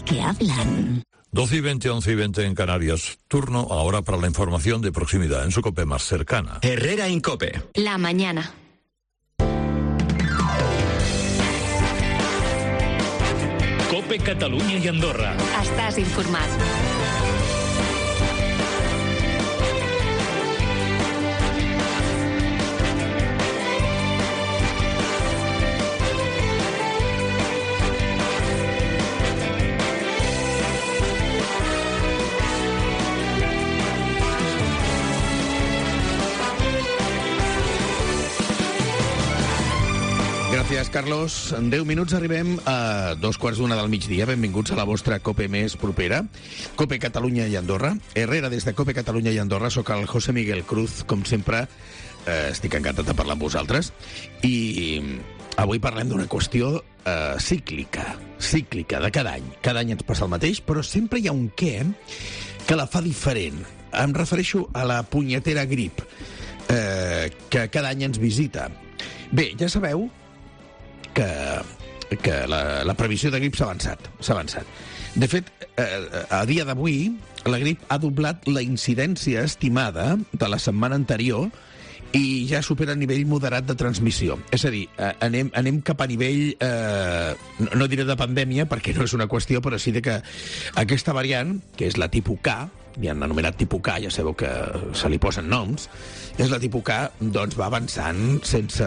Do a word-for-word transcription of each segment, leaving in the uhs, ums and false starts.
que hablan. doce y veinte, once y veinte en Canarias. Turno ahora para la información de proximidad en su COPE más cercana. Herrera Incope. La mañana. COPE Catalunya i Andorra. Estàs informat. Gràcies, Carlos. En deu minuts arribem a dos quarts d'una del migdia. Benvinguts a la vostra COPE més propera. COPE Catalunya i Andorra. Herrera des de COPE Catalunya i Andorra. Soc el José Miguel Cruz, com sempre. Eh, estic encantat de parlar amb vosaltres. I avui parlem d'una qüestió eh, cíclica. Cíclica, de cada any. Cada any ens passa el mateix, però sempre hi ha un què que la fa diferent. Em refereixo a la punyetera grip, eh, que cada any ens visita. Bé, ja sabeu que, que la, la previsió de grip s'ha avançat, s'ha avançat. De fet, eh, a dia d'avui, la grip ha doblat la incidència estimada de la setmana anterior i ja supera el nivell moderat de transmissió. És a dir, eh, anem, anem cap a nivell, eh, no, no diré de pandèmia, perquè no és una qüestió, però sí de que aquesta variant, que és la tipus K, ja han anomenat tipus K, ja sabeu que se li posen noms, és la tipus K, doncs va avançant sense,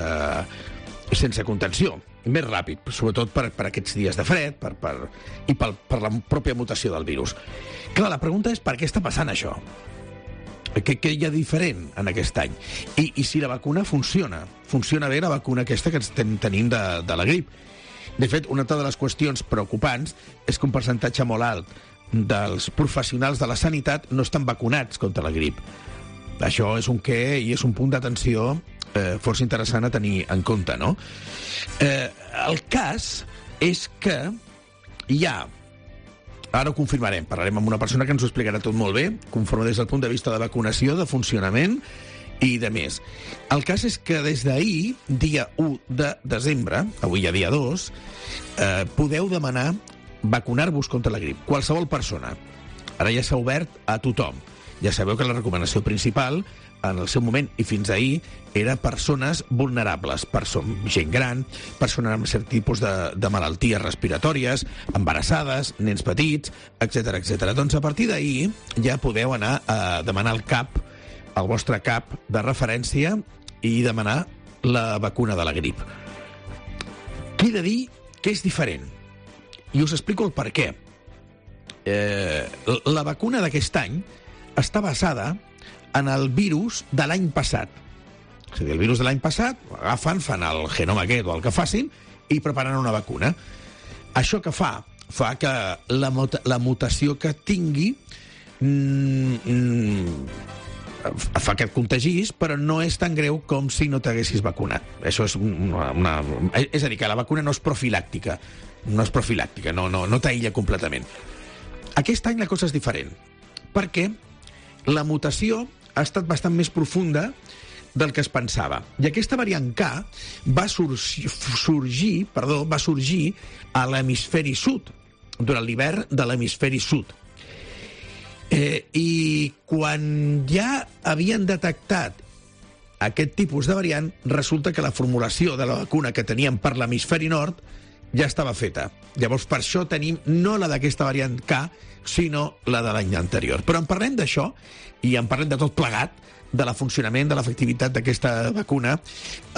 sense contenció, més ràpid, sobretot per, per aquests dies de fred per, per, i per, per la pròpia mutació del virus. Clar, la pregunta és per què està passant això? Què, què hi ha diferent en aquest any? I, i si la vacuna funciona? Funciona bé la vacuna aquesta que estem tenint de, de la grip? De fet, una de les qüestions preocupants és que un percentatge molt alt dels professionals de la sanitat no estan vacunats contra la grip. Això és un què i és un punt d'atenció eh, força interessant a tenir en compte, no? Eh, el cas és que hi ha, ara ho confirmarem, parlarem amb una persona que ens ho explicarà tot molt bé, conforme des del punt de vista de vacunació, de funcionament i de més. El cas és que des d'ahir, dia u de desembre, avui ja dia dos, eh, podeu demanar vacunar-vos contra la grip, qualsevol persona. Ara ja s'ha obert a tothom. Ja sabeu que la recomanació principal, en el seu moment i fins ahir, era persones vulnerables, perso gent gran, persones amb cert tipus de, de malalties respiratòries, embarassades, nens petits, etcètera, etcètera. Doncs a partir d'ahir ja podeu anar a demanar el CAP, el vostre CAP de referència, i demanar la vacuna de la grip. Què he de dir que és diferent? I us explico el per què. Eh, la vacuna d'aquest any està basada en el virus de l'any passat. És a dir, el virus de l'any passat, agafen, fan el genoma aquest o el que facin i preparen una vacuna. Això que fa? Fa que la, muta la mutació que tingui mm, mm, fa que et contagis, però no és tan greu com si no t'haguessis vacunat. Això és una, una... És a dir, que la vacuna no és profilàctica. No és profilàctica, no, no, no t'aïlla completament. Aquest any la cosa és diferent, perquè la mutació ha estat bastant més profunda del que es pensava. I aquesta variant K va sorgir, sorgir, perdó, va sorgir a l'hemisferi sud, durant l'hivern de l'hemisferi sud. Eh, I quan ja havien detectat aquest tipus de variant, resulta que la formulació de la vacuna que teníem per l'hemisferi nord ja estava feta. Llavors, per això tenim no la d'aquesta variant K, sinó la de l'any anterior. Però en parlem d'això, i en parlem de tot plegat, de la funcionament, de l'efectivitat d'aquesta vacuna,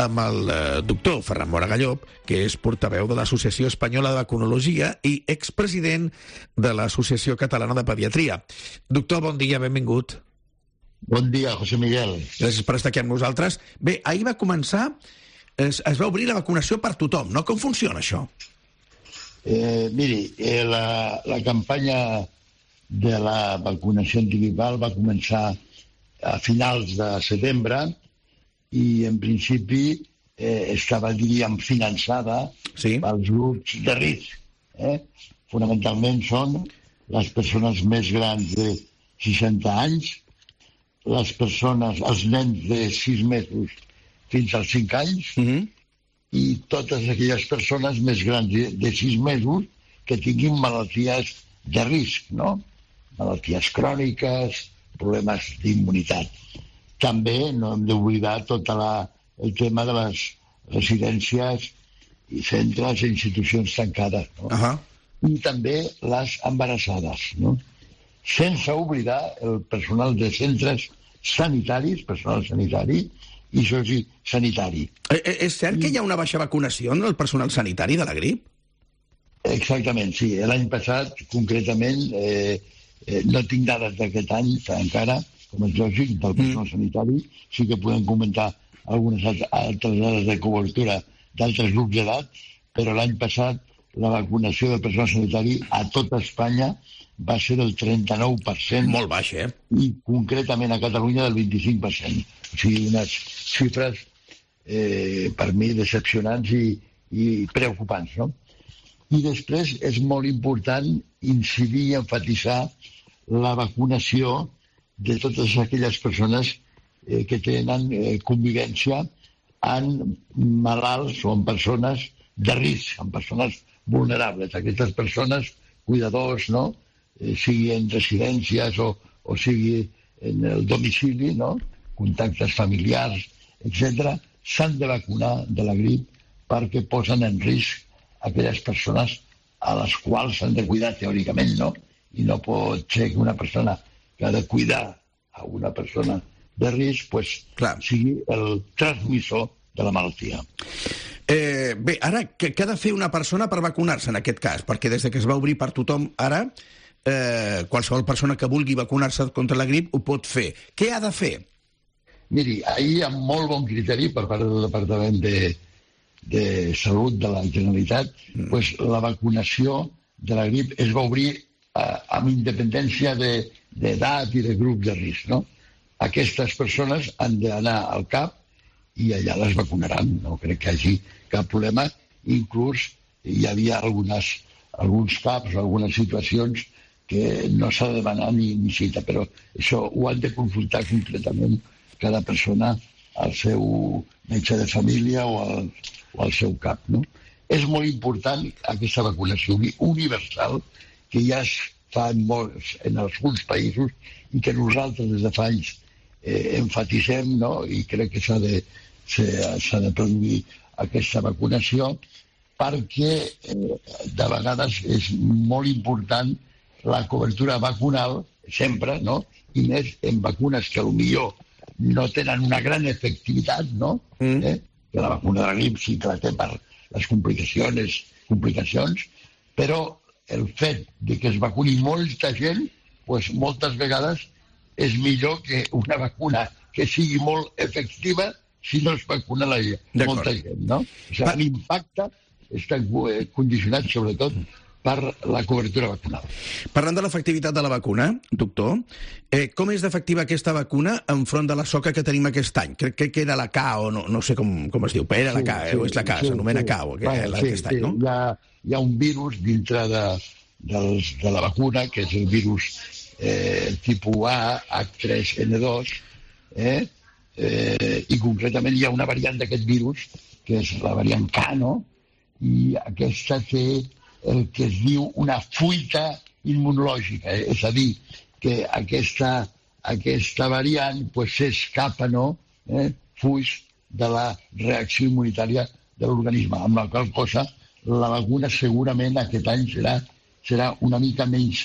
amb el eh, doctor Ferran Moragalló, que és portaveu de l'Associació Espanyola de Vacunologia i expresident de l'Associació Catalana de Pediatria. Doctor, bon dia, benvingut. Bon dia, José Miguel. Gràcies per estar aquí amb nosaltres. Bé, ahir va començar, es, es va obrir la vacunació per tothom, no? Com funciona això? Eh, miri, eh, la, la campanya de la vacunació antigripal va començar a finals de setembre i, en principi, eh, estava, diríem, finançada sí. pels grups de risc. Eh? Fonamentalment són les persones més grans de seixanta anys, les persones, els nens de sis mesos fins als cinc anys, mm-hmm. i totes aquelles persones més grans de, de sis mesos que tinguin malalties de risc, no? Malalties cròniques, problemes d'immunitat. També no hem d'oblidar tot la, el tema de les residències i centres i institucions tancades, no? Uh-huh. I també les embarassades, no? Sense oblidar el personal de centres sanitaris, personal sanitari i sociosanitari. És cert que hi ha una baixa vacunació en el personal sanitari de la grip? Exactament, sí. L'any passat, concretament, eh, eh, no tinc dades d'aquest any encara, com és lògic, del personal mm. sanitari. Sí que podem comentar algunes altres dades de cobertura d'altres grups d'edat, però l'any passat la vacunació del personal sanitari a tota Espanya va ser del trenta-nou per cent. Molt baix, eh? I concretament a Catalunya del vint-i-cinc per cent. O sigui, unes xifres eh, per mi decepcionants i, i preocupants, no? I després és molt important incidir i enfatitzar la vacunació de totes aquelles persones eh, que tenen eh, convivència amb malalts o amb persones de risc, amb persones vulnerables. Aquestes persones, cuidadors, no?, eh, sigui en residències o, o sigui en el domicili, no?, contactes familiars, etcètera, s'han de vacunar de la grip perquè posen en risc aquelles persones a les quals s'han de cuidar teòricament, no? I no pot ser que una persona que ha de cuidar a una persona de risc pues, sigui el transmissor de la malaltia. Eh, bé, ara, què ha de fer una persona per vacunar-se en aquest cas? Perquè des que es va obrir per tothom ara, eh, qualsevol persona que vulgui vacunar-se contra la grip ho pot fer. Què ha de fer? Miri, ahir amb molt bon criteri per part del Departament de, de Salut de la Generalitat, mm. pues, la vacunació de la grip es va obrir eh, amb independència d'edat de, i de grup de risc, no? Aquestes persones han d'anar al C A P i allà les vacunaran. No crec que hi hagi cap problema. Inclús hi havia algunes, alguns C A Ps, algunes situacions que no s'ha de demanar ni, ni cita, però això ho han de consultar concretament cada persona al seu metge de família o al, o al seu cap, no? És molt important aquesta vacunació universal que ja es fa en, molts, en alguns països i que nosaltres des de fa anys eh, enfatitzem, no? I crec que s'ha de, s'ha de produir aquesta vacunació perquè eh, de vegades és molt important la cobertura vacunal sempre, no? I més en vacunes que potser no tenen una gran efectivitat, no? Mm. Eh? Que la vacuna de la grip sí que la té per les complicacions, complicacions, però el fet de que es vacuni molta gent, pues, moltes vegades és millor que una vacuna que sigui molt efectiva si no es vacuna la, molta gent, no? O sigui, l'impacte està condicionat sobretot per la cobertura vacunal. Parlant de l'efectivitat de la vacuna, doctor, eh, com és d'efectiva aquesta vacuna enfront de la soca que tenim aquest any? Crec que era la K o no, no sé com, com es diu, però era la K, sí, sí, o és la K, sí, s'anomena sí. K o que, bueno, aquest sí, any, no? Sí. Hi, ha, hi ha un virus dintre de, dels, de la vacuna, que és el virus eh, tipus A, H tres N dos, eh, eh, i concretament hi ha una variant d'aquest virus, que és la variant K, no? I aquesta té el que es diu una fuita immunològica, eh? És a dir, que aquesta, aquesta variant pues, s'escapa, no? Eh? Fuix de la reacció immunitària de l'organisme, amb la qual cosa la vacuna segurament aquest any serà, serà una mica menys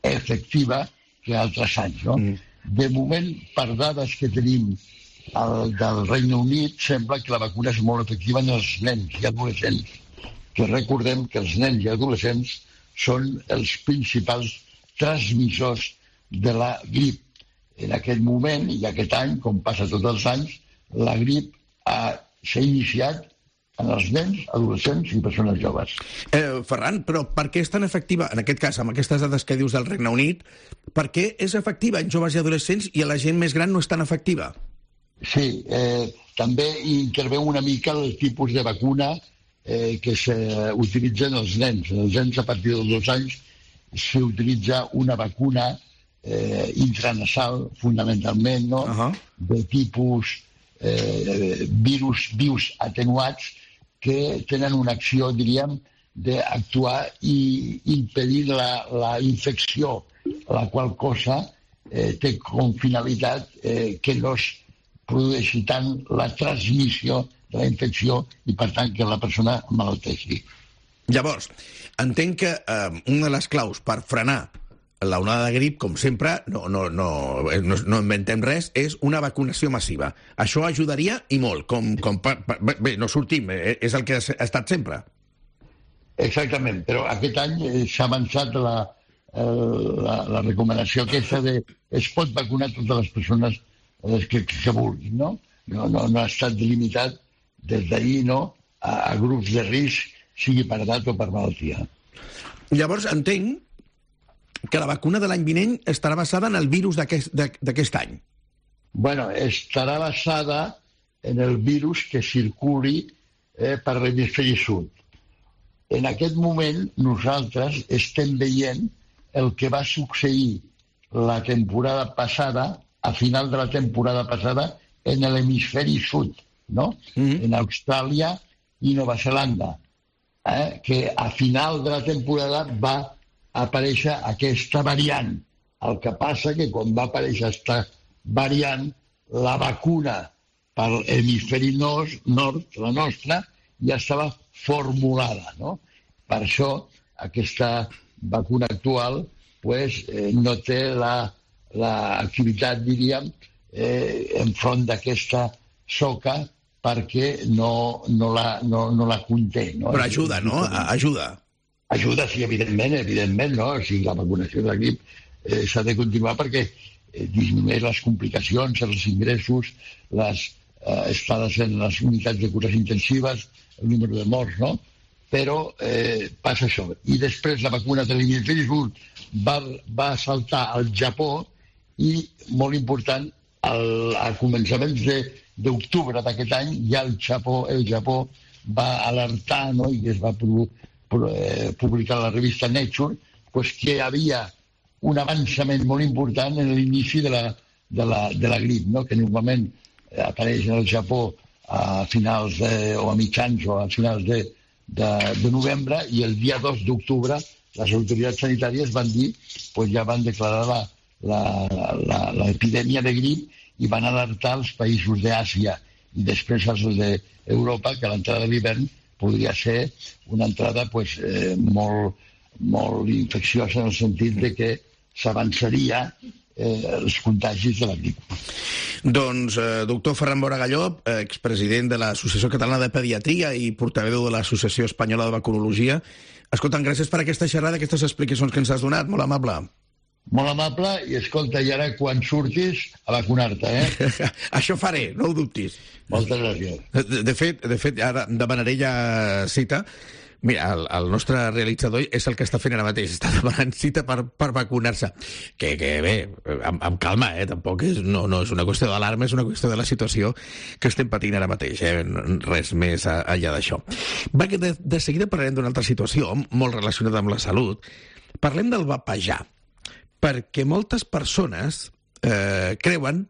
efectiva que altres anys, no? Mm. De moment, per dades que tenim el, del Regne Unit, sembla que la vacuna és molt efectiva en els nens i adolescents, que recordem que els nens i adolescents són els principals transmissors de la grip. En aquest moment i aquest any, com passa tots els anys, la grip s'ha iniciat en els nens, adolescents i persones joves. Eh, Ferran, però per què és tan efectiva, en aquest cas, amb aquestes dades que dius del Regne Unit, per què és efectiva en joves i adolescents i a la gent més gran no és tan efectiva? Sí, eh, també interveu una mica el tipus de vacuna Eh, que s'utilitzen els nens. Els nens a partir dels dos anys s'utilitza una vacuna eh, intranasal, fonamentalment, no? Uh-huh. De tipus eh, virus vius atenuats que tenen una acció, diríem, d'actuar i impedir la, la infecció, la qual cosa eh, té com finalitat eh, que no es produeixi tant la transmissió de la infecció i, per tant, que la persona malalteixi. Llavors, entenc que eh, una de les claus per frenar la onada de grip, com sempre, no, no, no, no, no inventem res, és una vacunació massiva. Això ajudaria i molt. Com, com per, per, bé, no sortim, és el que ha estat sempre. Exactament, però aquest any s'ha avançat la, la, la recomanació aquesta de es pot vacunar totes les persones que, que vulguin, no? No, no, no ha estat limitat des d'ahir, no?, a, a grups de risc, sigui per edat o per malaltia. Llavors, entenc que la vacuna de l'any vinent estarà basada en el virus d'aquest any. Bueno, estarà basada en el virus que circuli eh, per l'hemisferi sud. En aquest moment nosaltres estem veient el que va succeir la temporada passada, a final de la temporada passada, en l'hemisferi sud, no? Mm-hmm. En Austràlia i Nova Zelanda, eh, que a final de la temporada va aparèixer aquesta variant. El que passa que quan va aparèixer aquesta variant, la vacuna per l'hemisferi nord, nord, la nostra, ja estava formulada, no? Per això aquesta vacuna actual pues, eh, no té l'activitat, la, diríem, eh, enfront d'aquesta soca perquè no, no, la, no, no la conté. No? Però ajuda, no? Ajuda. Ajuda, sí, evidentment, evidentment, no? O sigui, la vacunació de la grip eh, s'ha de continuar perquè eh, disminueix les complicacions, els ingressos, les eh, estades en les unitats de cures intensives, el número de morts, no? Però eh, passa això. I després la vacuna de l'hemisferi sud va, va saltar al Japó i, molt important, al, a començaments d'octubre d'aquest any, ja el Japó, el Japó va alertar, no?, i es va provocar publicar a la revista Nature, pues que hi havia un avançament molt important en l'inici de la, de la, de la grip, no? Que normalment apareix en el Japó a finals de, o a mitjans o a finals de, de, de novembre, i el dia dos d'octubre les autoritats sanitàries van dir, pues ja van declarar l'epidèmia de grip i van alertar els països d'Àsia i després els d'Europa que a l'entrada de l'hivern podria ser una entrada pues, eh, molt, molt infecciosa en el sentit de que s'avançaria eh, els contagis de la grip. Doncs, eh, doctor Ferran Boragalló, expresident de l'Associació Catalana de Pediatria i portaveu de l'Associació Espanyola de Vacunologia, escolta'm, gràcies per aquesta xerrada, aquestes explicacions que ens has donat, molt amable. Molt amable, i escolta, i ara quan surtis a vacunar-te, eh? Això faré, no ho dubtis. Moltes gràcies. De, de fet, de fet, ara demanaré ja cita. Mira, el, el nostre realitzador és el que està fent ara mateix, està demanant cita per, per vacunar-se. Que, que bé, amb, amb calma, eh? Tampoc és, no, no és una qüestió d'alarma, és una qüestió de la situació que estem patint ara mateix, eh? Res més enllà d'això. Va, que de, de seguida parlarem d'una altra situació, molt relacionada amb la salut. Parlem del vapejar, perquè moltes persones eh, creuen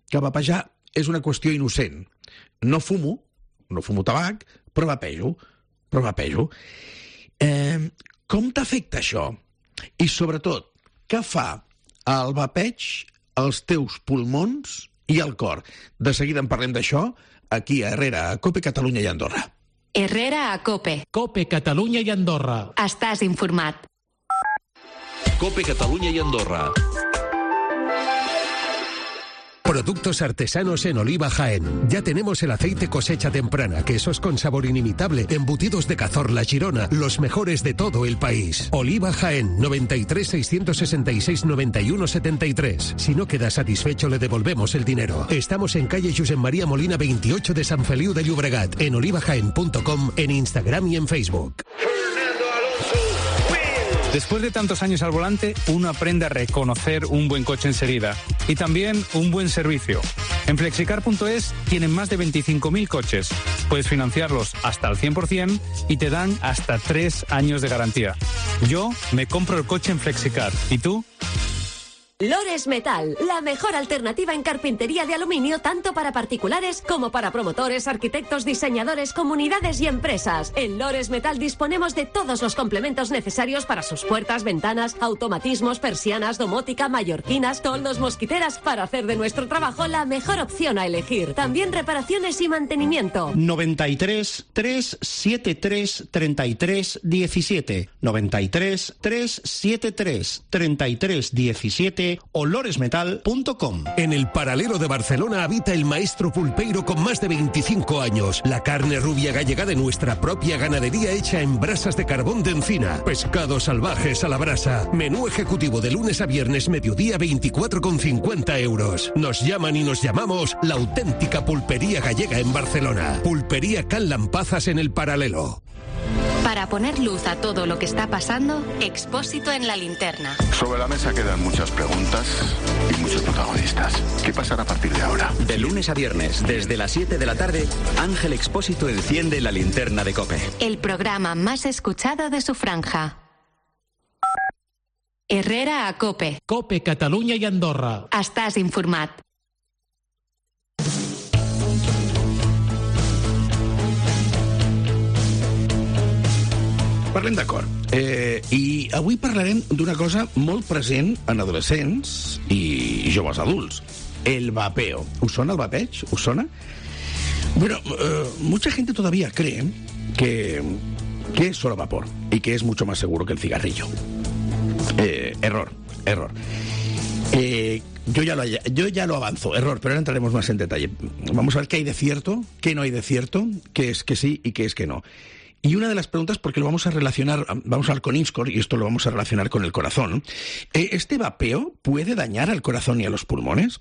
que vapejar és una qüestió innocent. No fumo, no fumo tabac, però vapejo, però vapejo. Eh, com t'afecta això? I, sobretot, què fa el vapeig als teus pulmons i al cor? De seguida en parlem d'això, aquí a Herrera, a COPE, Catalunya i Andorra. Herrera a COPE. COPE, Catalunya i Andorra. Estàs informat. COPE Cataluña y Andorra. Productos artesanos en Oliva Jaén. Ya tenemos el aceite cosecha temprana, quesos con sabor inimitable, embutidos de Cazorla, Girona, los mejores de todo el país. Oliva Jaén, noventa y tres, seiscientos sesenta y seis, noventa y uno, setenta y tres. Si no queda satisfecho, le devolvemos el dinero. Estamos en calle Josep María Molina veintiocho de San Feliu de Llobregat, en olivajaén punto com, en Instagram y en Facebook. Después de tantos años al volante, uno aprende a reconocer un buen coche enseguida y también un buen servicio. En flexicar punto es tienen más de veinticinco mil coches. Puedes financiarlos hasta al cien por ciento y te dan hasta tres años de garantía. Yo me compro el coche en Flexicar. ¿Y tú? Lores Metal, la mejor alternativa en carpintería de aluminio tanto para particulares como para promotores, arquitectos, diseñadores, comunidades y empresas. En Lores Metal disponemos de todos los complementos necesarios para sus puertas, ventanas, automatismos, persianas, domótica, mallorquinas, toldos, mosquiteras, para hacer de nuestro trabajo la mejor opción a elegir. También reparaciones y mantenimiento. noventa y tres, trescientos setenta y tres, treinta y tres, diecisiete. noventa y tres, trescientos setenta y tres, treinta y tres, diecisiete o loresmetal punto com. En el Paralelo de Barcelona habita el maestro pulpeiro con más de veinticinco años. La carne rubia gallega de nuestra propia ganadería hecha en brasas de carbón de encina. Pescados salvajes a la brasa. Menú ejecutivo de lunes a viernes, mediodía, veinticuatro con cincuenta euros. Nos llaman y nos llamamos la auténtica pulpería gallega en Barcelona. Pulpería Can Lampazas en el Paralelo. Para poner luz a todo lo que está pasando, Expósito en la linterna. Sobre la mesa quedan muchas preguntas y muchos protagonistas. ¿Qué pasará a partir de ahora? De lunes a viernes, desde las siete de la tarde, Ángel Expósito enciende la linterna de COPE. El programa más escuchado de su franja. Herrera a COPE. COPE, Catalunya i Andorra. Estàs informat. Parlem d'acord. Eh, I avui parlarem d'una cosa molt present en adolescents i joves adults. El vapeo. ¿Us sona el vapeig? ¿Us sona? Bueno, eh, mucha gente todavía cree que, que es solo vapor y que es mucho más seguro que el cigarrillo. Eh, error, error. Eh, yo, ya lo, yo ya lo avanzo, error, pero ahora entraremos más en detalle. Vamos a ver qué hay de cierto, qué no hay de cierto, qué es que sí y qué es que no. Y una de las preguntas, porque lo vamos a relacionar, vamos a hablar con INSCOR y esto lo vamos a relacionar con el corazón. ¿Este vapeo puede dañar al corazón y a los pulmones?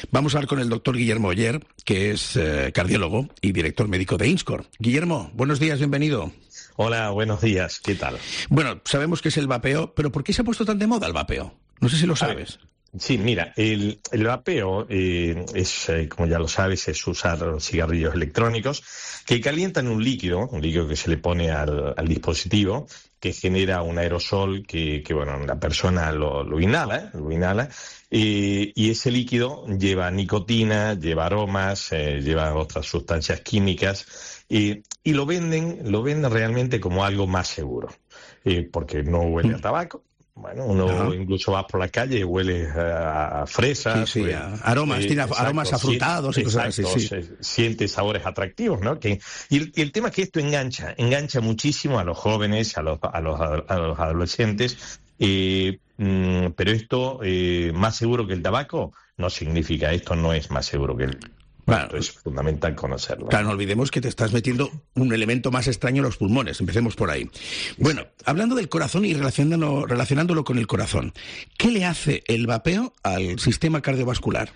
Vamos a hablar con el doctor Guillermo Oller, que es eh, cardiólogo y director médico de INSCOR. Guillermo, buenos días, bienvenido. Hola, buenos días, ¿qué tal? Bueno, sabemos que es el vapeo, pero ¿por qué se ha puesto tan de moda el vapeo? No sé si lo sabes. Sí, mira, el, el vapeo eh, es, eh, como ya lo sabes, es usar cigarrillos electrónicos que calientan un líquido, un líquido que se le pone al, al dispositivo, que genera un aerosol que, que bueno, la persona lo, lo inhala, lo inhala, eh, y ese líquido lleva nicotina, lleva aromas, eh, lleva otras sustancias químicas, eh, y lo venden, lo venden realmente como algo más seguro, eh, porque no huele a tabaco. Bueno, uno Ajá. incluso va por la calle y huele a, a fresas. Sí, sí, huele, a aromas, eh, tiene exacto, aromas afrutados y cosas exacto, así. Sí. Se, siente sabores atractivos, ¿no? Que, y, el, y el tema es que esto engancha, engancha muchísimo a los jóvenes, a los, a los, a los adolescentes, eh, mm, pero esto, eh, más seguro que el tabaco, no significa, esto no es más seguro que el Claro, es fundamental conocerlo. Claro, no olvidemos que te estás metiendo un elemento más extraño en los pulmones. Empecemos por ahí. Bueno, hablando del corazón y relacionándolo, relacionándolo con el corazón, ¿qué le hace el vapeo al sistema cardiovascular?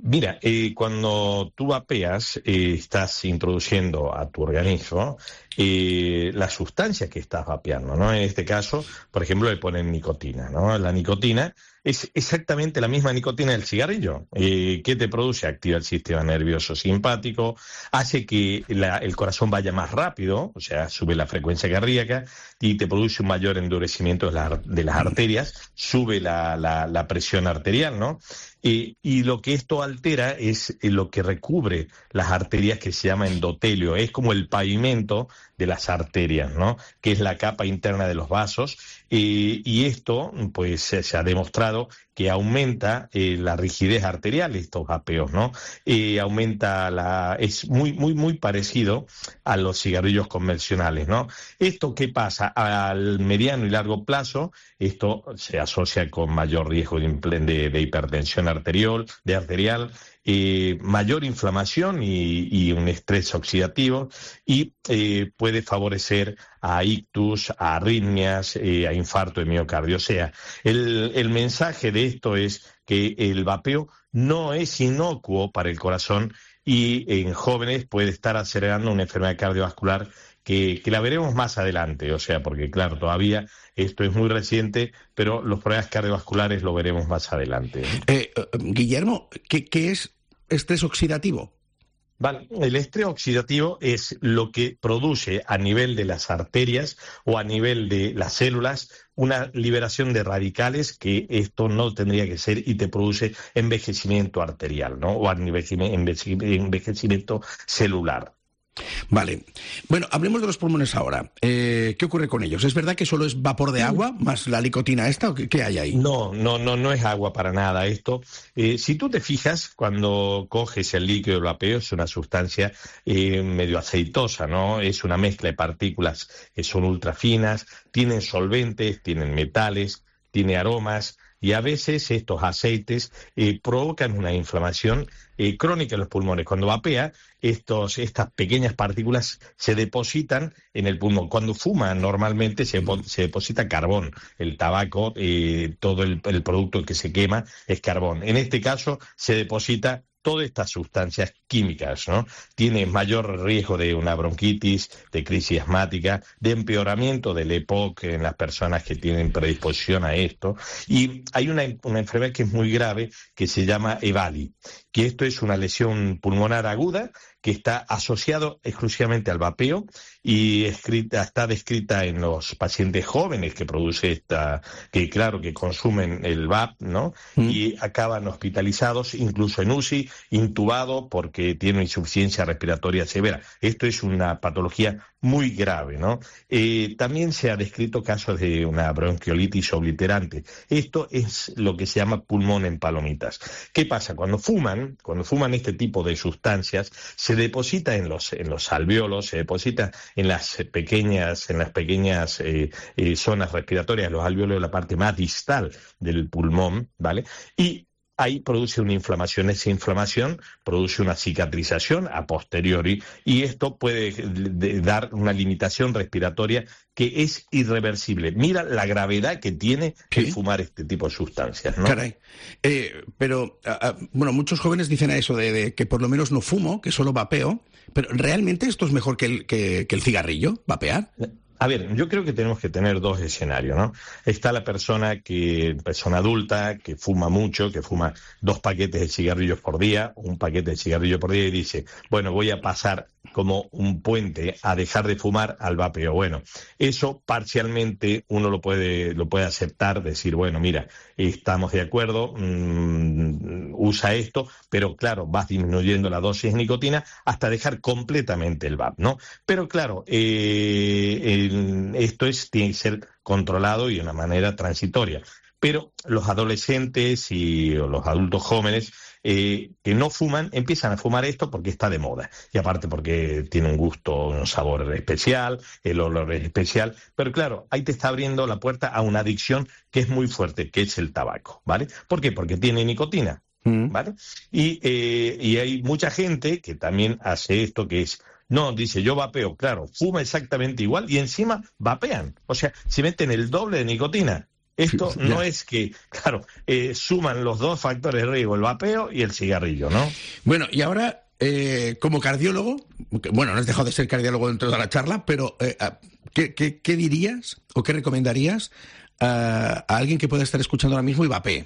Mira, eh, cuando tú vapeas, eh, estás introduciendo a tu organismo eh, la sustancia que estás vapeando, ¿no? En este caso, por ejemplo, le ponen nicotina, ¿no? La nicotina es exactamente la misma nicotina del cigarrillo. Eh, ¿Qué te produce? Activa el sistema nervioso simpático, hace que la, el corazón vaya más rápido, o sea, sube la frecuencia cardíaca y te produce un mayor endurecimiento de, la, de las arterias, sube la, la, la presión arterial, ¿no? Eh, y lo que esto altera es lo que recubre las arterias, que se llama endotelio, es como el pavimento de las arterias, ¿no? Que es la capa interna de los vasos, eh, y esto pues se, se ha demostrado que aumenta eh, la rigidez arterial, estos vapeos, ¿no? Eh, aumenta la... es muy, muy, muy parecido a los cigarrillos convencionales, ¿no? ¿Esto qué pasa? Al mediano y largo plazo, esto se asocia con mayor riesgo de, de, de hipertensión arterial, de arterial, eh, mayor inflamación y, y un estrés oxidativo, y eh, puede favorecer a ictus, a arritmias, eh, a infarto de miocardio. O sea, el, el mensaje de esto es que el vapeo no es inocuo para el corazón y en jóvenes puede estar acelerando una enfermedad cardiovascular que, que la veremos más adelante. O sea, porque claro, todavía esto es muy reciente, pero los problemas cardiovasculares lo veremos más adelante. Eh, uh, Guillermo, ¿qué, qué es estrés oxidativo? Vale, el estrés oxidativo es lo que produce a nivel de las arterias o a nivel de las células una liberación de radicales, que esto no tendría que ser, y te produce envejecimiento arterial, ¿no? O envejecimiento celular. Vale. Bueno, hablemos de los pulmones ahora. Eh, ¿Qué ocurre con ellos? ¿Es verdad que solo es vapor de agua más la nicotina esta o qué, qué hay ahí? No, no, no, no es agua para nada esto. Eh, si tú te fijas, cuando coges el líquido del vapeo, es una sustancia eh, medio aceitosa, ¿no? Es una mezcla de partículas que son ultra finas, tienen solventes, tienen metales, tiene aromas, y a veces estos aceites eh, provocan una inflamación eh, crónica en los pulmones. Cuando vapea, estos, estas pequeñas partículas se depositan en el pulmón. Cuando fuma, normalmente se, se deposita carbón. El tabaco, eh, todo el, el producto que se quema es carbón. En este caso, se deposita todas estas sustancias químicas, ¿no? Tiene mayor riesgo de una bronquitis, de crisis asmática, de empeoramiento del E P O C en las personas que tienen predisposición a esto. Y hay una, una enfermedad que es muy grave, que se llama EVALI, que esto es una lesión pulmonar aguda que está asociado exclusivamente al vapeo y escrita, está descrita en los pacientes jóvenes que produce esta, que claro, que consumen el V A P, ¿no? Mm. Y acaban hospitalizados, incluso en U C I, intubado porque tiene insuficiencia respiratoria severa. Esto es una patología muy grave, ¿no? Eh, también se ha descrito casos de una bronquiolitis obliterante. Esto es lo que se llama pulmón en palomitas. ¿Qué pasa? Cuando fuman, cuando fuman este tipo de sustancias, se deposita en los en los alvéolos, se deposita en las pequeñas en las pequeñas eh, eh, zonas respiratorias, los alvéolos de la parte más distal del pulmón, ¿vale? Y ahí produce una inflamación. Esa inflamación produce una cicatrización a posteriori y esto puede dar una limitación respiratoria que es irreversible. Mira la gravedad que tiene ¿Qué? el fumar este tipo de sustancias, ¿no? Caray. Eh, pero, uh, uh, bueno, muchos jóvenes dicen a eso de, de que por lo menos no fumo, que solo vapeo, pero ¿realmente esto es mejor que el, que, que el cigarrillo, vapear? A ver, yo creo que tenemos que tener dos escenarios, ¿no? Está la persona que, persona adulta, que fuma mucho, que fuma dos paquetes de cigarrillos por día, un paquete de cigarrillo por día y dice, bueno, voy a pasar como un puente a dejar de fumar al vapeo. Bueno, eso parcialmente uno lo puede, lo puede aceptar, decir, bueno, mira, estamos de acuerdo, mmm, usa esto, pero claro, vas disminuyendo la dosis de nicotina hasta dejar completamente el V A P, ¿no? Pero claro, eh, el, esto es, tiene que ser controlado y de una manera transitoria. Pero los adolescentes y los adultos jóvenes eh, que no fuman, empiezan a fumar esto porque está de moda. Y aparte porque tiene un gusto, un sabor especial, el olor es especial. Pero claro, ahí te está abriendo la puerta a una adicción que es muy fuerte, que es el tabaco, ¿vale? ¿Por qué? Porque tiene nicotina, ¿vale? Y, eh, y hay mucha gente que también hace esto, que es... No, dice, yo vapeo, claro, fuma exactamente igual y encima vapean. O sea, se meten el doble de nicotina. Esto no es que, claro, eh, suman los dos factores de riesgo, el vapeo y el cigarrillo, ¿no? Bueno, y ahora, eh, como cardiólogo, bueno, no has dejado de ser cardiólogo dentro de la charla, pero eh, ¿qué, qué, qué dirías o qué recomendarías a, a alguien que pueda estar escuchando ahora mismo y vapee?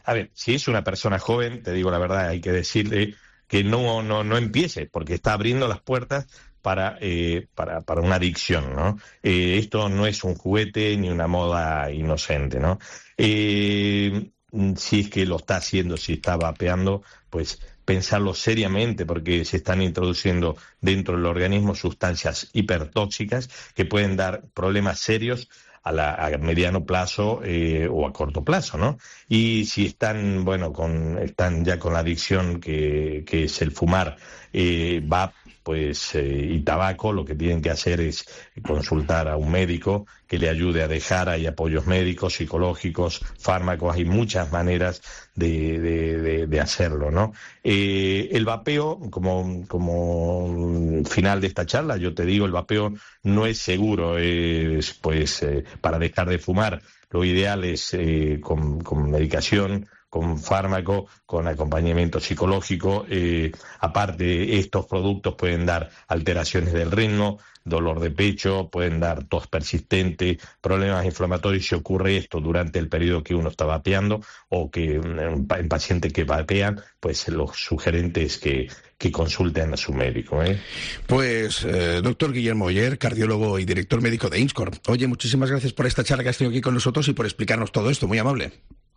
A ver, si es una persona joven, te digo la verdad, hay que decirle que no, no, no empiece, porque está abriendo las puertas para, eh, para, para una adicción, ¿no? Eh, esto no es un juguete ni una moda inocente, ¿no? Eh, si es que lo está haciendo, si está vapeando, pues pensarlo seriamente, porque se están introduciendo dentro del organismo sustancias hipertóxicas que pueden dar problemas serios a, la, a mediano plazo eh, o a corto plazo, ¿no? Y si están, bueno, con, están ya con la adicción que, que es el fumar, eh, va pues eh, y tabaco, lo que tienen que hacer es consultar a un médico que le ayude a dejar. Hay apoyos médicos, psicológicos, fármacos, hay muchas maneras de, de, de, de hacerlo, ¿no? Eh, el vapeo, como, como final de esta charla, yo te digo, el vapeo no es seguro, es pues eh, para dejar de fumar, lo ideal es eh, con, con medicación, con fármaco, con acompañamiento psicológico. Eh, aparte, estos productos pueden dar alteraciones del ritmo, dolor de pecho, pueden dar tos persistente, problemas inflamatorios si ocurre esto durante el periodo que uno está vapeando, o que en pacientes que vapean, pues lo sugerente es que, que consulten a su médico. ¿eh? Pues, eh, doctor Guillermo Oller, cardiólogo y director médico de INSCOR. Oye, muchísimas gracias por esta charla que has tenido aquí con nosotros y por explicarnos todo esto, muy amable.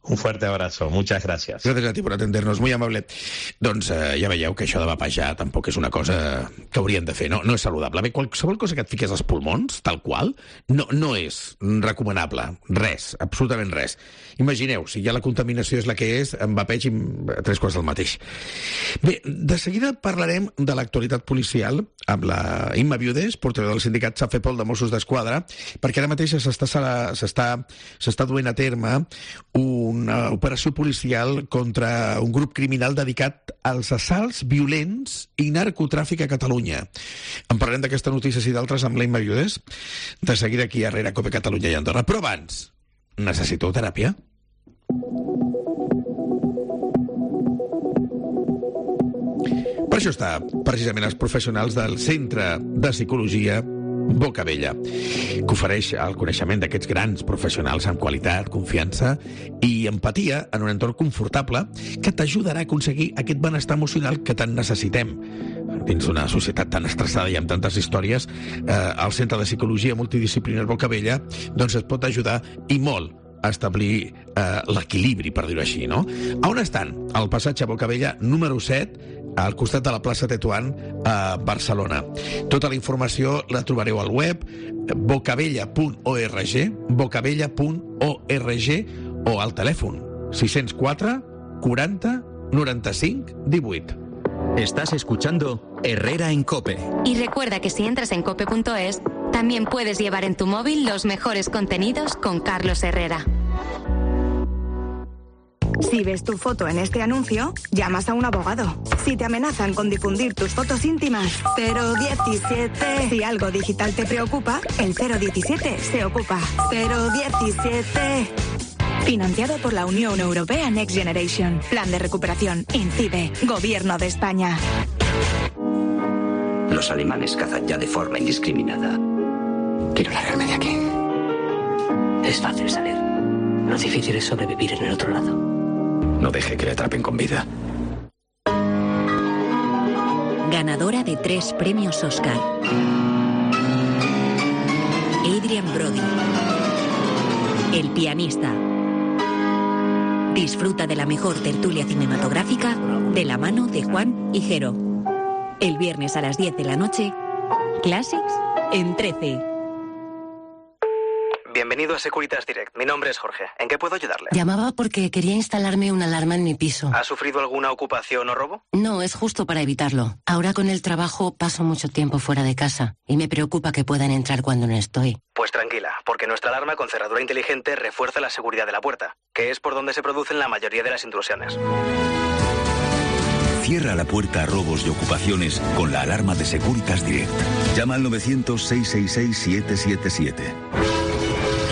Un fuerte abrazo, muchas gràcies. Gràcies a ti per atender-nos, muy amable. Doncs eh, ja veieu que això de vapejar tampoc és una cosa que haurien de fer, no, no és saludable. Bé, qualsevol cosa que et fiques als pulmons, tal qual, no, no és recomanable. Res, absolutament res. Imagineu, si ja la contaminació és la que és, amb vapeig i tres quarts del mateix. Bé, de seguida parlarem de l'actualitat policial amb la Imma Viudes, portaveu del sindicat Safepol de Mossos d'Esquadra, perquè ara mateix s'està duent a terme una operació policial contra un grup criminal dedicat als assalts violents i narcotràfic a Catalunya. En parlarem d'aquesta notícia i d'altres amb la Imma Viudes, de seguida aquí a Herrera, Cope Catalunya i Andorra. Però abans, necessiteu teràpia? Per això està precisament els professionals del Centre de Psicologia Bocabella, que ofereix el coneixement d'aquests grans professionals amb qualitat, confiança i empatia en un entorn confortable que t'ajudarà a aconseguir aquest benestar emocional que tant necessitem. Dins d'una societat tan estressada i amb tantes històries, eh, el Centre de Psicologia Multidisciplinar Bocabella doncs et pot ajudar i molt a establir eh, l'equilibri, per dir-ho així, no? A on estan? Al passatge Bocabella número set, al costat de la plaça Tetuán, a Barcelona. Tota la informació la trobareu al web bocabella punt org, bocabella punt org, o al telèfon sis zero quatre quaranta noranta cinc divuit. Estás escuchando Herrera en Cope. Y recuerda que si entras en cope punto es, también puedes llevar en tu móvil los mejores contenidos con Carlos Herrera. Si ves tu foto en este anuncio, llamas a un abogado. Si te amenazan con difundir tus fotos íntimas, cero diecisiete. Si algo digital te preocupa, el cero diecisiete se ocupa. cero diecisiete. Financiado por la Unión Europea Next Generation. Plan de recuperación. INCIBE. Gobierno de España. Los alemanes cazan ya de forma indiscriminada. Quiero largarme de aquí. Es fácil salir. Lo difícil es sobrevivir en el otro lado. No deje que le atrapen con vida. Ganadora de tres premios Oscar. Adrien Brody. El pianista. Disfruta de la mejor tertulia cinematográfica de la mano de Juan y Jero. El viernes a las diez de la noche, Classics en trece. Bienvenido a Securitas Direct. Mi nombre es Jorge. ¿En qué puedo ayudarle? Llamaba porque quería instalarme una alarma en mi piso. ¿Ha sufrido alguna ocupación o robo? No, es justo para evitarlo. Ahora con el trabajo paso mucho tiempo fuera de casa y me preocupa que puedan entrar cuando no estoy. Pues tranquila, porque nuestra alarma con cerradura inteligente refuerza la seguridad de la puerta, que es por donde se producen la mayoría de las intrusiones. Cierra la puerta a robos y ocupaciones con la alarma de Securitas Direct. Llama al novecientos, seiscientos sesenta y seis, siete siete siete.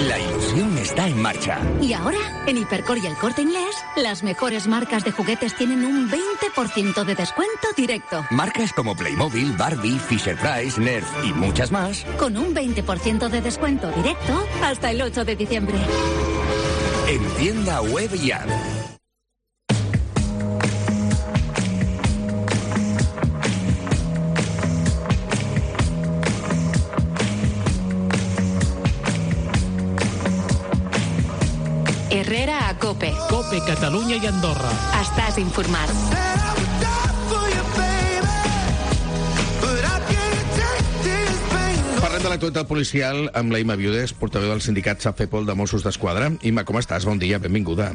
La ilusión está en marcha. Y ahora, en Hipercor y El Corte Inglés, las mejores marcas de juguetes tienen un veinte por ciento de descuento directo. Marcas como Playmobil, Barbie, Fisher-Price, Nerf y muchas más. Con un veinte por ciento de descuento directo hasta el ocho de diciembre. En tienda web y app. Herrera a Cope. Cope Catalunya i Andorra. Estàs informat. Parlem de l'actualitat policial amb la Imma Viudes, portaveu del sindicat Safepol de Mossos d'Esquadra. Imma, com estàs? Bon dia, benvinguda.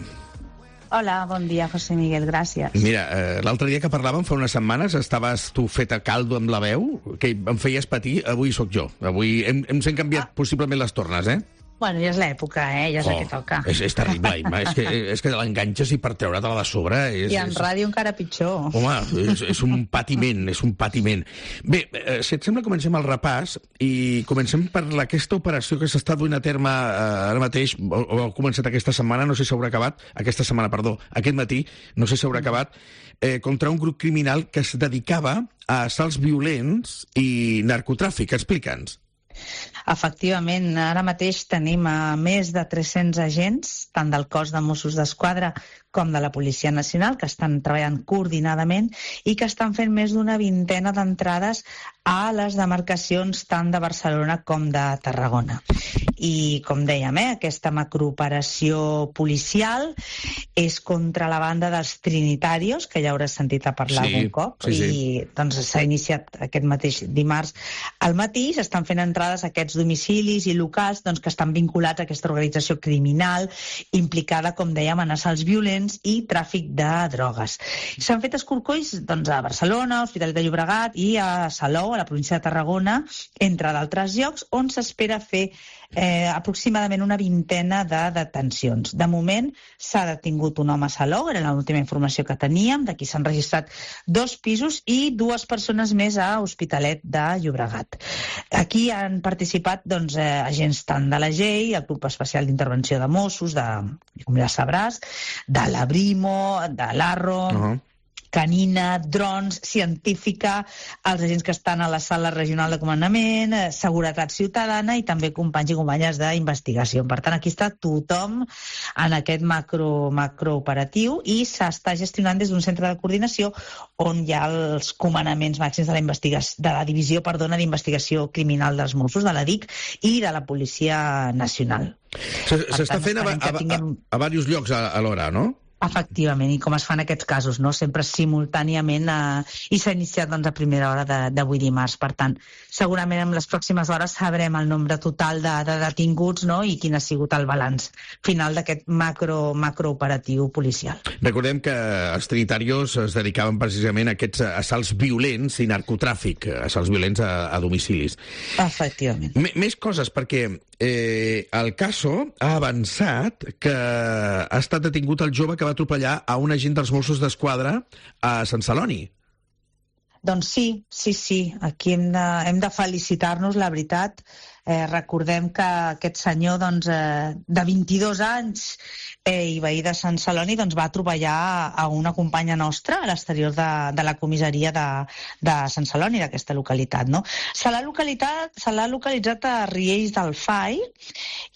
Hola, bon dia, José Miguel, gràcies. Mira, eh, l'altre dia que parlàvem, fa unes setmanes, estaves tu feta caldo amb la veu, que em feies patir, avui sóc jo. Avui hem, hem s'han canviat ah. possiblement les tornes, eh? Bueno, ja és l'època, eh? Ja és oh, el que toca. És, és terrible, Imma. és, que, és que l'enganxes i per treure-te-la de sobre... És, I en és... ràdio encara pitjor. Home, és, és un patiment, és un patiment. Bé, eh, si et sembla, comencem el repàs i comencem per aquesta operació que s'està duent a terme eh, ara mateix, o, o ha començat aquesta setmana, no sé si s'haurà acabat, aquesta setmana, perdó, aquest matí, no sé si s'haurà acabat, eh, contra un grup criminal que es dedicava a assalts violents i narcotràfic. Explica'ns. Efectivament, ara mateix tenim a més de tres-cents agents, tant del cos de Mossos d'Esquadra com de la Policia Nacional, que estan treballant coordinadament i que estan fent més d'una vintena d'entrades a les demarcacions tant de Barcelona com de Tarragona. I, com dèiem, eh, aquesta macrooperació policial és contra la banda dels trinitarios, que ja hauràs sentit a parlar sí, algun cop, sí, sí. I doncs s'ha iniciat aquest mateix dimarts al matí, s'estan fent entrades a aquests domicilis i locals doncs, que estan vinculats a aquesta organització criminal implicada, com dèiem, en assalts violents i tràfic de drogues. S'han fet escorcolls doncs, a Barcelona, a Hospitalet de Llobregat i a Salou, a la província de Tarragona, entre d'altres llocs, on s'espera fer eh, aproximadament una vintena de detencions. De moment s'ha detingut un home a Salou, era l'última informació que teníem, d'aquí s'han registrat dos pisos i dues persones més a Hospitalet de Llobregat. Aquí han participat doncs, eh, agents tant de la G E I, el Grup Especial d'Intervenció de Mossos, de, com ja sabràs, de la Brimo, de l'Arro, uh-huh. Canina, drons, científica, els agents que estan a la sala regional de comandament, seguretat ciutadana i també companys i companyes d'investigació. Per tant, aquí està tothom en aquest macro, macrooperatiu i s'està gestionant des d'un centre de coordinació on hi ha els comandaments màxims de la, investigació, de la divisió perdona, d'investigació criminal dels Mossos, de la D I C i de la Policia Nacional. S'està fent a, a, a, a diversos llocs a, a l'hora, no? Efectivament, i com es fan aquests casos, no? Sempre simultàniament eh, i s'ha iniciat doncs, a primera hora d'avui dimarts. Per tant, segurament en les pròximes hores sabrem el nombre total de, de detinguts, no? I quin ha sigut el balanç final d'aquest macro, macrooperatiu policial. Recordem que els trinitarios es dedicaven precisament a aquests assalts violents i narcotràfic, assalts violents a, a domicilis. Efectivament. M més coses, perquè eh, el Caso ha avançat que ha estat detingut el jove que va atropellar a un agent dels Mossos d'Esquadra a Sant Celoni. Doncs sí, sí, sí. Aquí hem de, hem de felicitar-nos, la veritat. Eh, recordem que aquest senyor doncs, eh, de vint-i-dos anys eh, i veí de Sant Celoni doncs, va atropellar a una companya nostra a l'exterior de, de la comissaria de, de Sant Celoni, d'aquesta localitat. No? Se l'ha localitat, se l'ha localitzat a Riells del Fai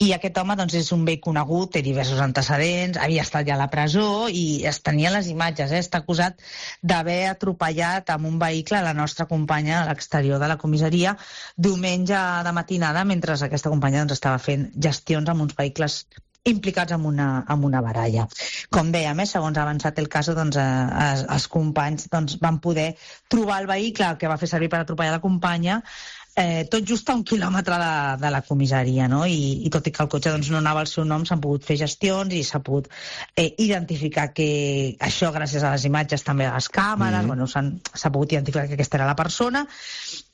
i aquest home doncs, és un vell conegut, té diversos antecedents, havia estat ja a la presó i es tenia les imatges. Eh? Està acusat d'haver atropellat amb un vehicle a la nostra companya a l'exterior de la comissaria diumenge de matinada mentre aquesta companya doncs, estava fent gestions amb uns vehicles implicats en una, en una baralla. Com dèiem, eh, segons ha avançat el cas, doncs, eh, els companys doncs, van poder trobar el vehicle que va fer servir per atropellar la companya eh, tot just a un quilòmetre de, de la comissaria, no? I, i tot i que el cotxe doncs, no anava al seu nom, s'han pogut fer gestions i s'ha pogut eh, identificar que això, gràcies a les imatges també a les càmeres, mm-hmm. bueno, s'ha pogut identificar que aquesta era la persona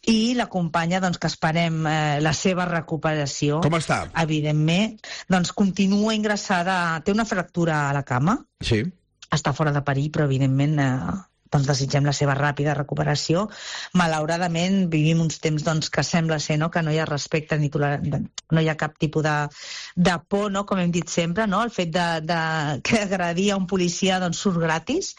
i la companya, doncs, que esperem eh, la seva recuperació. Com està? Evidentment, doncs continua ingressada, té una fractura a la cama, sí. Està fora de perill, però evidentment eh, doncs desitgem la seva ràpida recuperació. Malauradament vivim uns temps doncs, que sembla ser no? que no hi ha respecte ni toler... no hi ha cap tipus de, de por, no? Com hem dit sempre, no? El fet de, de que agredir a un policia doncs, surt gratis,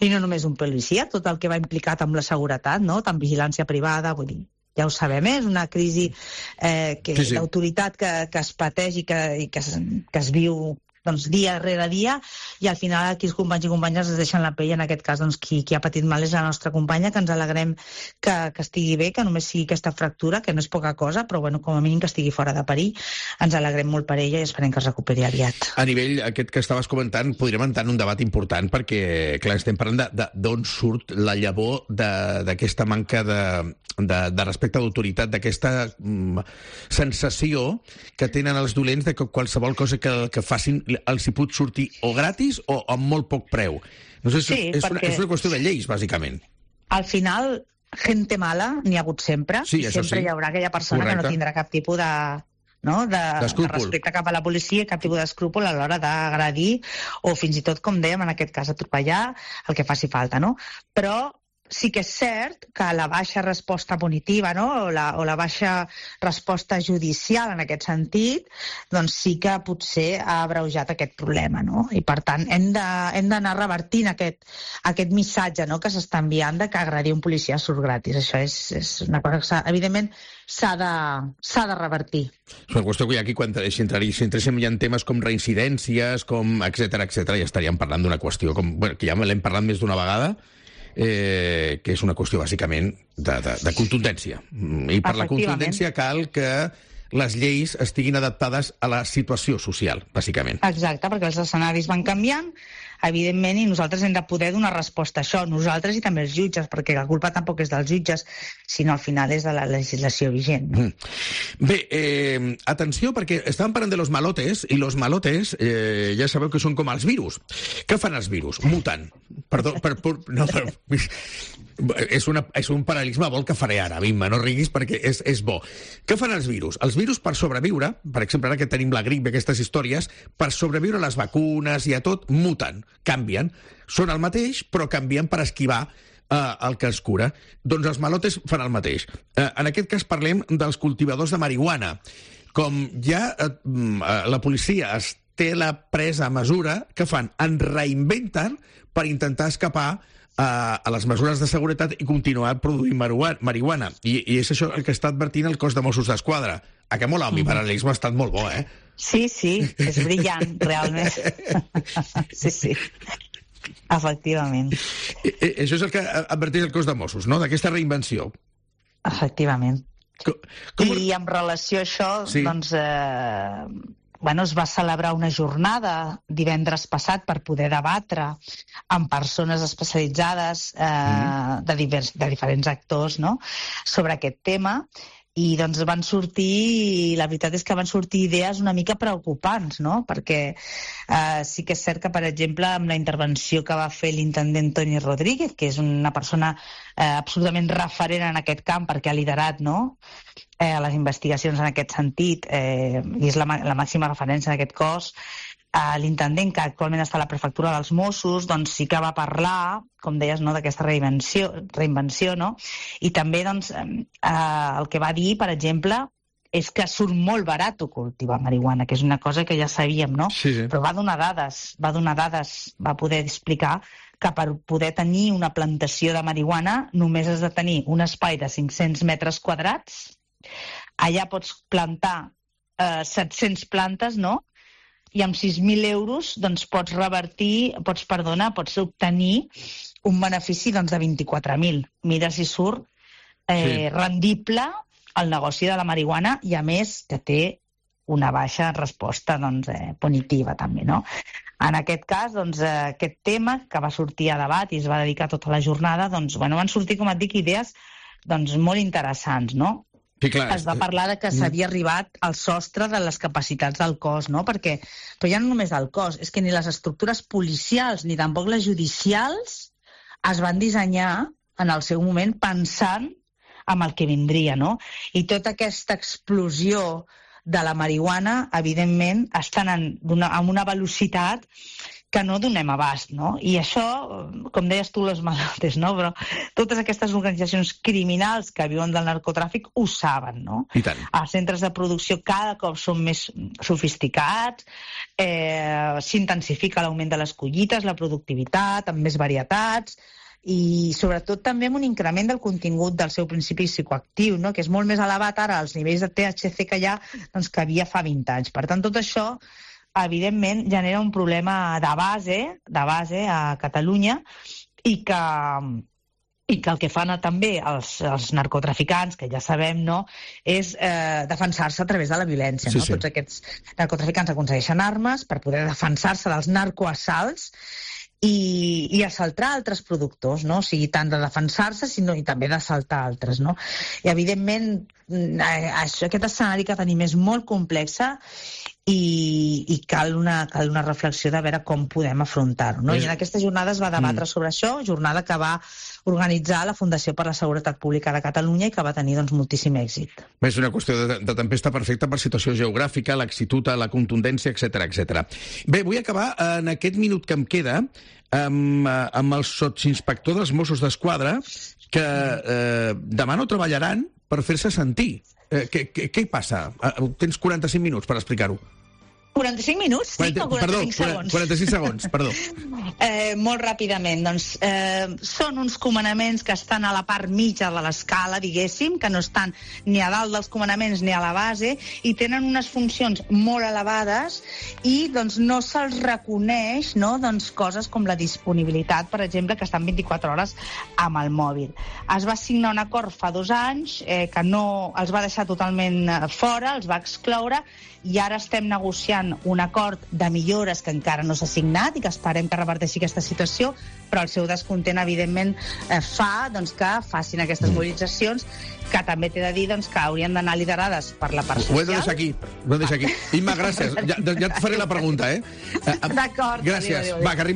i no només un policia, tot el que va implicat amb la seguretat, no? Tant vigilància privada, vull dir, ja ho sabem, eh? És una crisi eh, que, sí, sí. d'autoritat que, que es pateix i que, i que, es, que es viu doncs, dia rere dia, i al final aquí els companys i companyes es deixen la pell. En aquest cas, doncs, qui, qui ha patit mal és la nostra companya, que ens alegrem que, que estigui bé, que només sigui aquesta fractura, que no és poca cosa, però bueno, com a mínim que estigui fora de perill. Ens alegrem molt per ella i esperem que es recuperi aviat. A nivell aquest que estaves comentant, podríem entrar en un debat important, perquè, clar, estem parlant d'on surt la llavor d'aquesta manca de, de, de respecte d'autoritat, d'aquesta mm, sensació que tenen els dolents de que qualsevol cosa que, que facin els hi pot sortir o gratis o amb molt poc preu. No sé, sí, és, una, és una qüestió de lleis, bàsicament. Al final, gente mala n'hi ha hagut sempre, sí, i sempre sí. hi haurà aquella persona Correcte. Que no tindrà cap tipus de, no? de, de respecte cap a la policia, cap tipus d'escrúpol a l'hora d'agredir o fins i tot, com dèiem, en aquest cas atropellar, el que faci falta, no? Però sí que és cert que la baixa resposta punitiva, no? o, la, o la baixa resposta judicial en aquest sentit, doncs sí que potser ha abreujat aquest problema, no? I per tant hem de, hem d'anar revertint aquest, aquest missatge, no? que s'està enviant de que agredir un policia surt gratis. Això és, és una cosa que s'ha, evidentment s'ha de, s'ha de revertir. És una qüestió que aquí, quan si entréssim ja en temes com reincidències, com etcètera, etcètera, ja estaríem parlant d'una qüestió com, bueno, que ja l'hem parlat més d'una vegada, Eh, que és una qüestió bàsicament de, de, de contundència. I per la contundència cal que les lleis estiguin adaptades a la situació social, bàsicament. Exacte, perquè els escenaris van canviant, evidentment, i nosaltres hem de poder donar resposta a això, nosaltres i també els jutges, perquè la culpa tampoc és dels jutges, sinó al final és de la legislació vigent. Mm. Bé, eh, atenció, perquè estàvem parlant de los malotes, i los malotes eh, ja sabeu que són com els virus. Què fan els virus? Muten. Perdó, per, per, no, per, és, una, és un paral·lelisme molt que faré ara, Bimba, no riguis perquè és, és bo. Què fan els virus? Els virus, per sobreviure, per exemple, ara que tenim la grip i aquestes històries, per sobreviure a les vacunes i a tot, muten, canvien. Són el mateix, però canvien per esquivar eh, el que els cura. Doncs els malotes fan el mateix. Eh, en aquest cas parlem dels cultivadors de marihuana. Com ja eh, la policia es té la presa mesura, que fan? En reinventen per intentar escapar a, a les mesures de seguretat i continuar produint marihuana. I, i és això el que està advertint el cos de Mossos d'Esquadra. A que mola, el mi paral·lelisme ha estat molt bo, eh? Sí, sí, és brillant, realment. Sí, sí. Efectivament. I, i, això és el que adverteix el cos de Mossos, no?, d'aquesta reinvenció. Efectivament. Com, com... I en relació a això, sí. doncs... Eh... Bueno, es va celebrar una jornada divendres passat per poder debatre amb persones especialitzades eh, mm. de, divers, de diferents actors, no?, sobre aquest tema, i doncs van sortir, la veritat és que van sortir idees una mica preocupants, no?, perquè eh, sí que és cert que, per exemple, amb la intervenció que va fer l'intendent Toni Rodríguez, que és una persona eh, absolutament referent en aquest camp perquè ha liderat, no?, eh, les investigacions en aquest sentit, eh, i és la, la màxima referència en aquest cos, eh, l'intendent, que actualment està a la prefectura dels Mossos, doncs sí que va parlar, com deies, no?, d'aquesta reinvenció, reinvenció, no?, i també doncs, eh, el que va dir, per exemple, és que surt molt barat cultivar marihuana, que és una cosa que ja sabíem, no? Sí, sí. Però va donar dades, va donar dades, va poder explicar que per poder tenir una plantació de marihuana només has de tenir un espai de cinc-cents metres quadrats. Allà pots plantar eh, set-cents plantes, no? I amb sis mil euros doncs, pots revertir, pots, perdona, pots obtenir un benefici doncs, de vint-i-quatre mil. Mira si surt eh, sí. rendible el negoci de la marihuana, i a més que té una baixa resposta doncs, eh, punitiva també, no? En aquest cas, doncs, eh, aquest tema que va sortir a debat i es va dedicar tota la jornada, doncs, bueno, van sortir, com et dic, idees doncs, molt interessants, no? Sí, clar. Es va parlar de que s'havia arribat al sostre de les capacitats del cos, no? Perquè, però ja no només del cos, és que ni les estructures policials ni tampoc les judicials es van dissenyar en el seu moment pensant amb el que vindria, no? I tota aquesta explosió de la marihuana, evidentment, estan en una, amb una velocitat que no donem abast, no? I això, com deies tu, les malotes, no? Però totes aquestes organitzacions criminals que viuen del narcotràfic ho saben, no? I tant. Els centres de producció cada cop són més sofisticats, eh, s'intensifica l'augment de les collites, la productivitat, amb més varietats, i sobretot també amb un increment del contingut del seu principi psicoactiu, no?, que és molt més elevat ara als nivells de T H C que hi ha doncs, que havia fa vint anys. Per tant, tot això evidentment genera un problema de base, de base a Catalunya, i que, i que el que fan també els, els narcotraficants, que ja sabem, no?, és eh, defensar-se a través de la violència. Sí, no? sí. Tots aquests narcotraficants aconsegueixen armes per poder defensar-se dels narcoassalts i, i assaltar altres productors, no? O sigui, tant de defensar-se sinó i també d'assaltar altres, no? I evidentment això, aquest escenari que tenim és molt complex i, i cal, una, cal una reflexió de veure com podem afrontar-ho. No? I en aquesta jornada es va debatre mm. sobre això, jornada que va organitzar la Fundació per la Seguretat Pública de Catalunya i que va tenir doncs, moltíssim èxit. És una qüestió de, de tempesta perfecta per situació geogràfica, laxitud, la contundència, etcètera, etcètera. Bé, vull acabar en aquest minut que em queda amb, amb el sotsinspector dels Mossos d'Esquadra que eh, demà no treballaran per fer-se sentir. Eh, què, què, què hi passa? Tens quaranta-cinc minuts per explicar-ho. quaranta-cinc minuts? Sí, quaranta, o quaranta-cinc perdó, segons? quaranta-cinc segons, perdó. Eh, molt ràpidament, doncs, eh, són uns comandaments que estan a la part mitja de l'escala, diguéssim, que no estan ni a dalt dels comandaments ni a la base, i tenen unes funcions molt elevades i doncs, no se'ls reconeix no, doncs, coses com la disponibilitat, per exemple, que estan vint-i-quatre hores amb el mòbil. Es va signar un acord fa dos anys eh, que no els va deixar totalment fora, els va excloure, i ara estem negociant un acord de millores que encara no s'ha signat i que esperem que reverteixi aquesta situació, però el seu descontent, evidentment, eh, fa doncs, que facin aquestes mobilitzacions, que també t'he de dir doncs, que haurien d'anar liderades per la part social. Ho he de deixar aquí. Ho he de deixar aquí. Imma, gràcies. Ja, ja et faré la pregunta, eh? D'acord. Gràcies. Va, que arribem